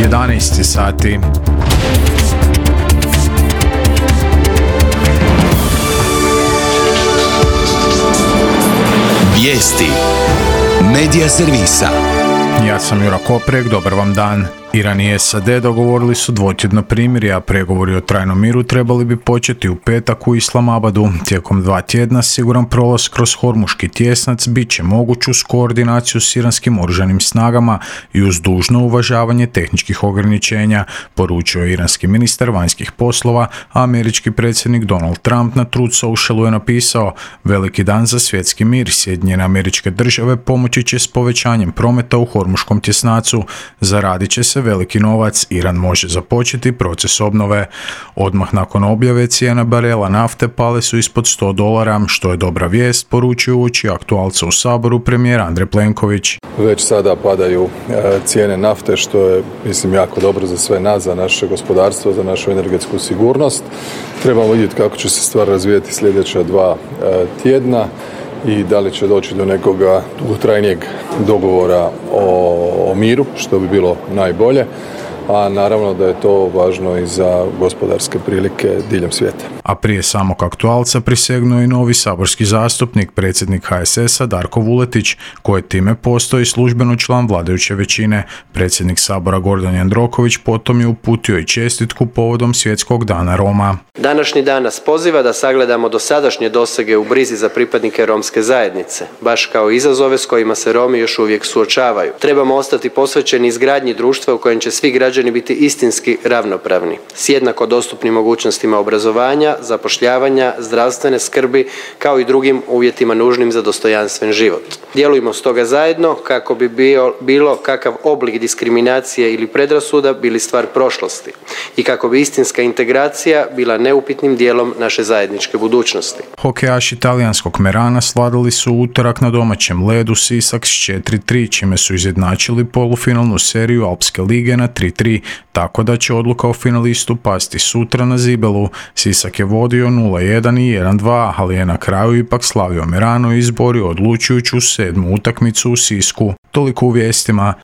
11 sati. Vijesti Medija servisa. Ja sam Jura Koprek, dobar vam dan. Iran i SAD dogovorili su dvotjedno primirje, a pregovori o trajnom miru trebali bi početi u petak u Islamabadu. Tijekom 2 tjedna siguran prolaz kroz Hormuški tjesnac bit će moguć uz koordinaciju s iranskim oružanim snagama i uz dužno uvažavanje tehničkih ograničenja, poručio je iranski ministar vanjskih poslova, a američki predsjednik Donald Trump na Truth Socialu je napisao: veliki dan za svjetski mir, Sjedinjene Američke Države pomoći će s povećanjem prometa u Hormuškom tjesnacu, zaradit će se veliki novac, Iran može započeti proces obnove. Odmah nakon objave cijena barela nafte pale su ispod $100, što je dobra vijest, poručio uoči aktualca u Saboru premijer Andrej Plenković. Već sada padaju cijene nafte, što je, mislim, jako dobro za sve nas, za naše gospodarstvo, za našu energetsku sigurnost. Trebamo vidjeti kako će se stvar razvijeti sljedeća 2 tjedna i da li će doći do nekoga dugotrajnijeg dogovora o miru, što bi bilo najbolje, a naravno da je to važno i za gospodarske prilike diljem svijeta. A prije samog aktualca prisegnuo i novi saborski zastupnik, predsjednik HSS-a Darko Vuletić, koji time postoji službeno član vladajuće većine. Predsjednik Sabora Gordan Jandroković potom je uputio i čestitku povodom Svjetskog dana Roma. Današnji dan nas poziva da sagledamo dosadašnje dosege u brizi za pripadnike romske zajednice, baš kao izazove s kojima se Romi još uvijek suočavaju. Trebamo ostati posvećeni izgradnji društva u kojem će svi građani biti istinski ravnopravni, s jednako dostupnim mogućnostima obrazovanja, zapošljavanja, zdravstvene skrbi, kao i drugim uvjetima nužnim za dostojanstven život. Djelujmo stoga zajedno kako bi bilo kakav oblik diskriminacije ili predrasuda bili stvar prošlosti i kako bi istinska integracija bila neupitnim dijelom naše zajedničke budućnosti. Hokejaši talijanskog Merana svladali su utorak na domaćem ledu Sisak s 4-3, čime su izjednačili polufinalnu seriju Alpske lige na 3-3, tako da će odluka o finalistu pasti sutra na Zibelu. Sisak je vodio 0-1 i 1-2, ali je na kraju ipak slavio Merano i izborio odlučujuću 7. utakmicu u Sisku. Toliko u vijestima.